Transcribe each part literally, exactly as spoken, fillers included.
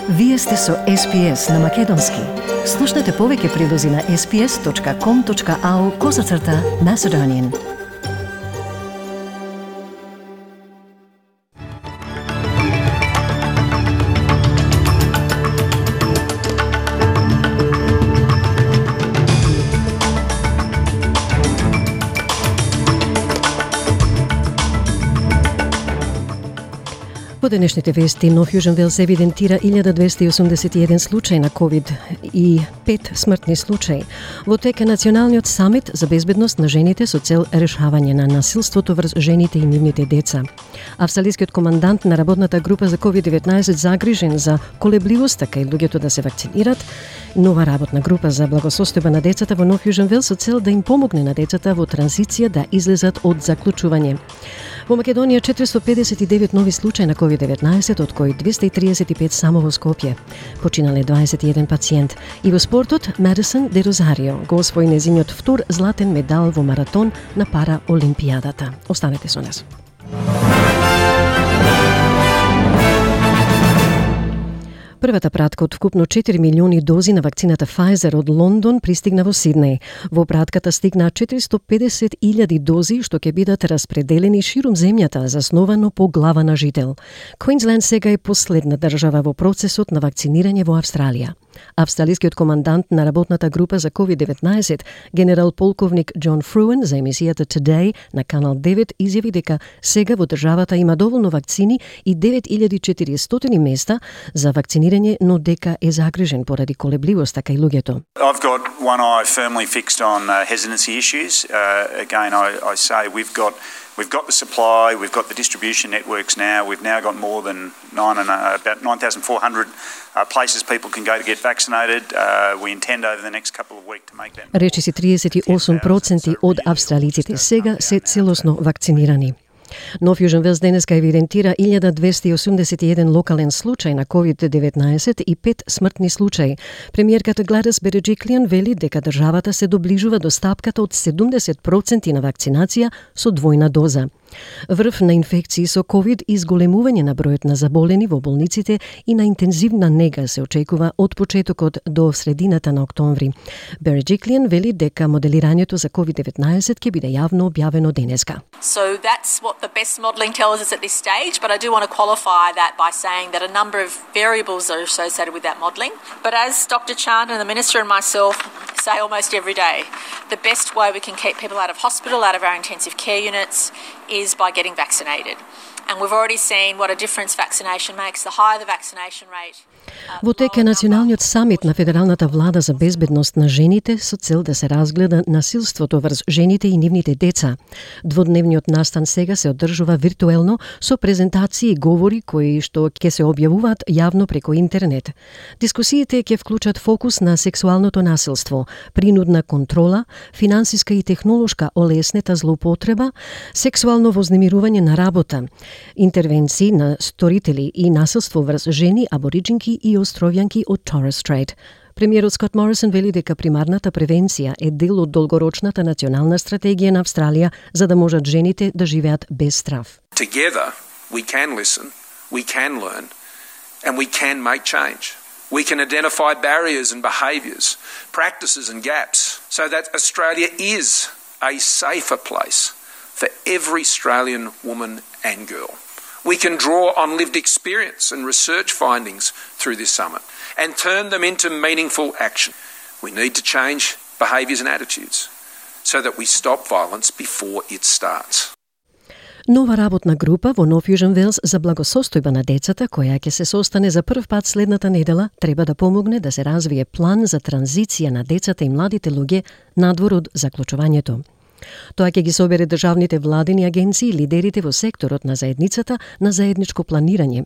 Вие сте со Ес Пи Ес на Македонски. Слушнете повеќе прилози на ес пи ес точка ком точка ау козацрта Macedonian. По денешните вести, Нов Јужен Велс евидентира илјада двесте и осумдесет и еден случај на ковид и пет смртни случаи. Во тек е Националниот самит за безбедност на жените со цел решавање на насилството врз жените и нивните деца. Австралискиот командант на работната група за ковид деветнаесет загрижен за колебливоста кај луѓето да се вакцинират. Нова работна група за благосостојба на децата во Нов Јужен Велс со цел да им помогне на децата во транзиција да излезат од заклучување. Во Македонија четиристотини педесет и девет нови случаи на ковид деветнаесет, од кои двесте и триесет и пет само во Скопје. Починале дваесет и еден пациент. И во спортот, Медисон де Розарио го освои незиниот втор златен медал во маратон на пара Олимпијадата. Останете со нас. Првата пратка од вкупно четири милиони дози на вакцината Pfizer од Лондон пристигна во Сиднеј. Во пратката стигнаа четиристотини педесет илјади дози што ќе бидат распределени ширум земјата, засновано по глава на жител. Квинсленд сега е последна држава во процесот на вакцинирање во Австралија. Австралискиот командант на работната група за ковид деветнаесет, генерал полковник Џон Фруен, за емисијата Today на Канал девет изјави дека сега во државата има доволно вакцини и девет илјади и четиристотини места за вакцинирање, но дека е загрижен поради колебливоста кај луѓето. I've got one eye firmly fixed on uh, hesitancy issues. Uh, again, I, I say we've got We've got the supply, we've got the distribution networks now. We've now got more than nine and uh, about nine thousand four hundred uh, places people can go to get vaccinated. Uh, we intend over the next couple of weeks to make that. Речиси триесет и осум проценти од австралиците сега се целосно вакцинирани. Нов Јужен Велс денеска евидентира илјада двесте и осумдесет и еден локален случај на ковид деветнаесет и пет смртни случаи. Премиерката Гладис Береџиклијан вели дека државата се доближува до стапката од седумдесет проценти на вакцинација со двојна доза. Врв на инфекции со ковид и зголемување на бројот на заболени во болниците и на интензивна нега се очекува од почетокот до средината на октомври. Береџиклијан вели дека моделирањето за ковид деветнаесет ќе биде јавно објавено денеска. So that's what the best modelling tells us at this stage, but I do want to qualify that by saying that a number of variables are associated with that modelling. But as Doctor Chan and the Minister and myself say almost every day, the best way we can keep people out of hospital, out of our intensive care units, is by getting vaccinated. And we've already seen what a difference vaccination makes. The higher the vaccination rate. Во тек е Националниот самит на Федералната влада за безбедност на жените со цел да се разгледа насилството врз жените и нивните деца. Дводневниот настан сега се одржува виртуелно со презентации и говори кои што ќе се објавуваат јавно преку интернет. Дискусиите ќе вклучат фокус на сексуалното насилство, принудна контрола, финансиска и технолошка олеснета злоупотреба, сексуално вознемирување на работа, интервенции на сторители и насилство врз жени, абориџинки и островјанки од Торres Strait. Премиерот Скот Морисон вели дека примарната превенција е дел од долгорочната национална стратегија на Австралија за да можат жените да живеат без страв. Together we can listen, we can learn, and we can make change. We can identify barriers and behaviours, practices and gaps so that Australia is a safer place for every Australian woman and girl. We can draw on lived experience and research findings through this summit and turn them into meaningful action. We need to change behaviours and attitudes so that we stop violence before it starts. Нова работна група во Нов Јужен Велс за благосостојба на децата, која ќе се состане за прв пат следната недела, треба да помогне да се развие план за транзиција на децата и младите луѓе надвор од заклучувањето. Тоа ќе ги собере државните владени агенции и лидерите во секторот на заедницата на заедничко планирање.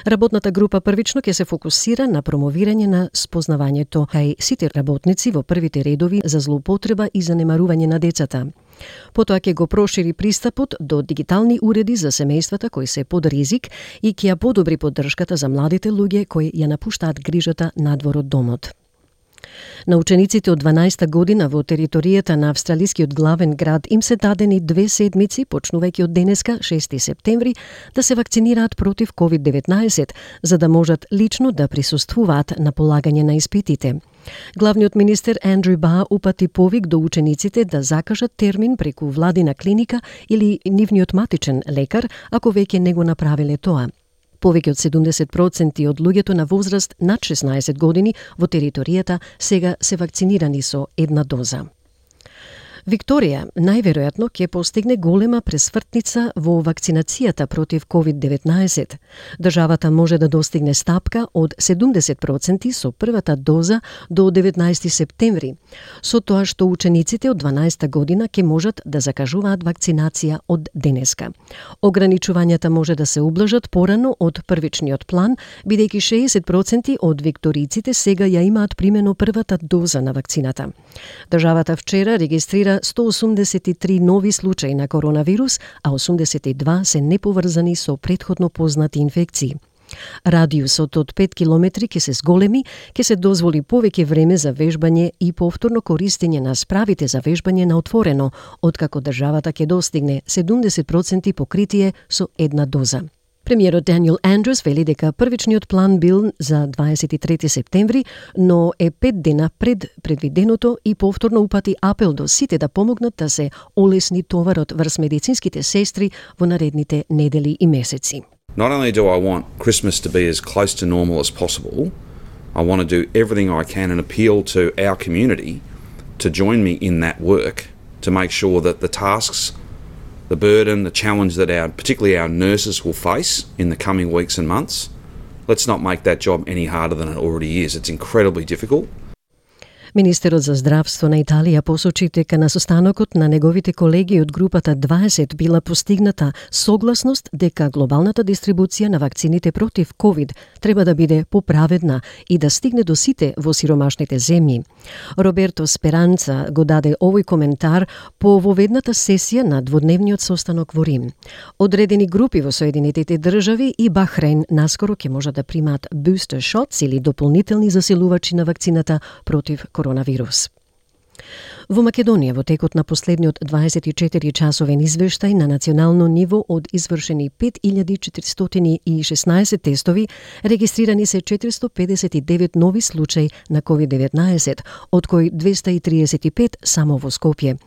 Работната група првично ќе се фокусира на промовирање на спознавањето кај сите работници во првите редови за злоупотреба и занемарување на децата. Потоа ќе го прошири пристапот до дигитални уреди за семејствата кои се под ризик и ќе ја подобри поддршката за младите луѓе кои ја напуштаат грижата надвор од домот. На учениците од дванаесетта година во територијата на австралискиот главен град им се дадени две седмици, почнувајќи од денеска, шести септември, да се вакцинираат против ковид деветнаесет, за да можат лично да присуствуваат на полагање на испитите. Главниот министер Андрю Бар упати повик до учениците да закажат термин преку владина клиника или нивниот матичен лекар, ако веќе не го направиле тоа. Повеќе од седумдесет проценти од луѓето на возраст над шеснаесет години во територијата сега се вакцинирани со една доза. Викторија најверојатно ќе постигне голема пресвртница во вакцинацијата против ковид деветнаесет. Државата може да достигне стапка од седумдесет проценти со првата доза до деветнаесети септември, со тоа што учениците од дванаесетта година ќе можат да закажуваат вакцинација од денеска. Ограничувањата може да се ублажат порано од првичниот план, бидејќи шеесет проценти од викториците сега ја имаат примено првата доза на вакцината. Државата вчера регистрира сто осумдесет и три нови случаи на коронавирус, а осумдесет и два се неповрзани со претходно познати инфекции. Радиусот од пет километри ќе се зголеми, ќе се дозволи повеќе време за вежбање и повторно користење на справите за вежбање на отворено, откако државата ќе достигне седумдесет проценти покритие со една доза. Премиерот Даниел Андрус вели дека првичниот план бил за дваесет и трети септември, но е пет дена пред предвиденото и повторно упати апел до сите да помогнат да се олесни товарот врз медицинските сестри во наредните недели и месеци. Not only do I want Christmas to be as close to normal as possible, I want to do everything I can and appeal to our community to join me in that work to make sure that the tasks, the burden, the challenge that our, particularly our nurses will face in the coming weeks and months, let's not make that job any harder than it already is. It's incredibly difficult. Министерот за здравство на Италија посочи дека на состанокот на неговите колеги од групата дваесет била постигната согласност дека глобалната дистрибуција на вакцините против ковид треба да биде поправедна и да стигне до сите во сиромашните земји. Роберто Сперанца го даде овој коментар по воведната сесија на дводневниот состанок во Рим. Одредени групи во Соединетите држави и Бахрейн наскоро ќе можат да примаат booster shots или дополнителни засилувачи на вакцината против коронавирус. Во Македонија, во текот на последниот дваесет и четири часовен извештај на национално ниво од извршени пет илјади четиристотини и шеснаесет тестови, регистрирани се четиристотини педесет и девет нови случаи на ковид деветнаесет, од кои двеста и триесет и пет само во Скопје.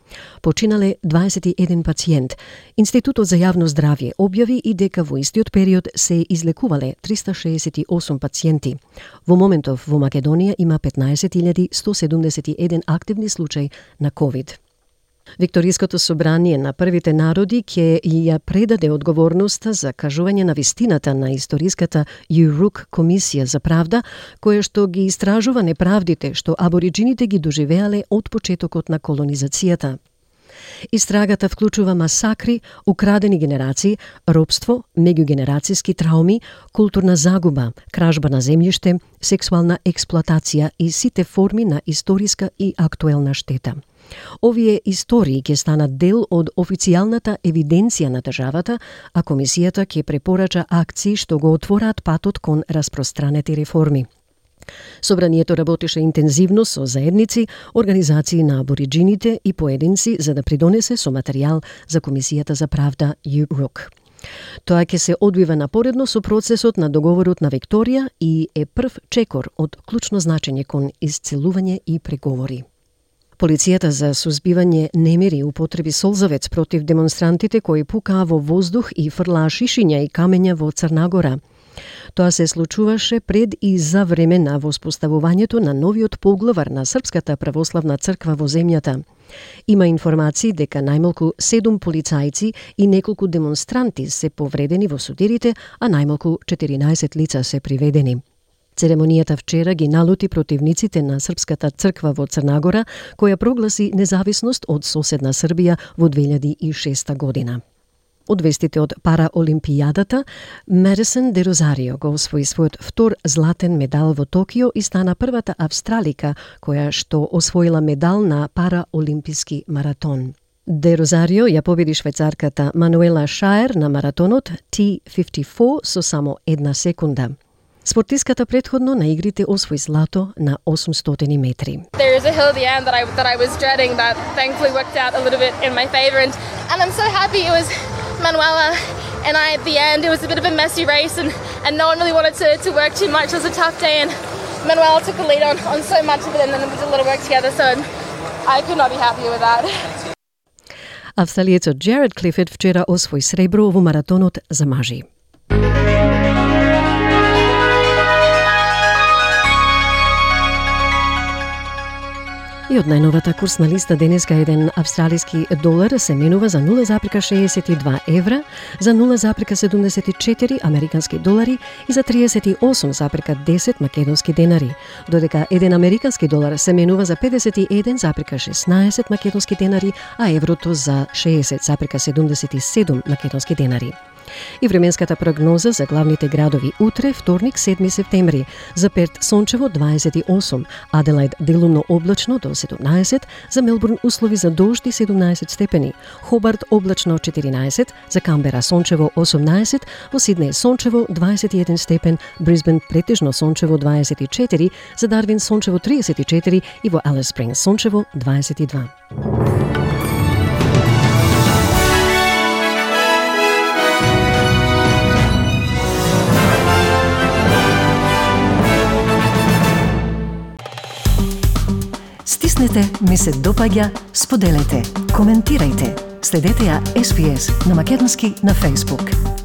Починале дваесет и еден пациент. Институтот за јавно здравје објави и дека во истиот период се излекувале триста шеесет и осум пациенти. Во моментов во Македонија има петнаесет илјади сто седумдесет и еден активни случаи на ковид. Викториското собрание на првите народи ќе ја предаде одговорноста за кажување на вистината на историската Юрук комисија за правда, која што ги истражува неправдите што абориджините ги доживеале од почетокот на колонизацијата. Истрагата вклучува масакри, украдени генерации, робство, меѓугенерацијски трауми, културна загуба, кражба на земјиште, сексуална експлоатација и сите форми на историска и актуелна штета. Овие истории ќе станат дел од официјалната евиденција на државата, а комисијата ќе препорача акции што го отвораат патот кон распространети реформи. Собранието работеше интензивно со заедници, организации на абориджините и поединци за да придонесе со материјал за Комисијата за правда Юрук. Тоа ќе се одвива напоредно со процесот на договорот на Викторија и е прв чекор од клучно значење кон исцелување и преговори. Полицијата за сузбивање немири употреби солзавец против демонстрантите кои пукаа во воздух и фрлаа шишиња и камења во Црна Гора. Тоа се случуваше пред и за време на воспоставувањето на новиот поглавар на Српската православна црква во земјата. Има информации дека најмалку седум полицајци и неколку демонстранти се повредени во судирите, а најмалку четиринаесет лица се приведени. Церемонијата вчера ги налути противниците на Српската црква во Црна Гора, која прогласи независност од соседна Србија во две илјади и шеста година. Од вестите од Параолимпијадата, Медисон де Розарио го освои својот втор златен медал во Токио и стана првата австралика која што освоила медал на Параолимписки маратон. Де Розарио ја победи швајцарката Мануела Шаер на маратонот Т петдесет и четири со само една секунда. Спортистката претходно на игрите освои злато на осумстотини метри. There is a hill at the end that I that I was dreading that thankfully worked out a little bit in my favor, and and I'm so happy it was Manuela and I at the end. It was a bit of a messy race, and, and no one really wanted to, to work too much. It was a tough day, and Manuela took the lead on, on so much of it, and then we did a little work together, so I could not be happier with that. Австралиецот Джеред Клифет вчера освои сребро во маратонот за мажи. И од најновата курсна листа денеска еден австралиски долар се менува за нула запирка шеесет и два евра, за нула запирка седумдесет и четири американски долари и за триесет и осум запирка десет македонски денари, додека еден американски долар се менува за педесет и еден запирка шеснаесет македонски денари, а еврото за шеесет запирка седумдесет и седум македонски денари. И временската прогноза за главните градови утре, вторник, седми септември. За Перт сончево дваесет и осум, Аделаид делумно облачно до седумнаесет, за Мелбурн услови за дожд и седумнаесет степени, Хобарт облачно четиринаесет, за Камбера сончево осумнаесет, во Сиднеј сончево дваесет и еден степен, Брисбен претежно сончево дваесет и четири, за Дарвин сончево триесет и четири и во Алис Спрингс сончево дваесет и два. Стиснете, ми се допаѓа, споделете, коментирајте. Следете ја Ес Би Ес на македонски на Facebook.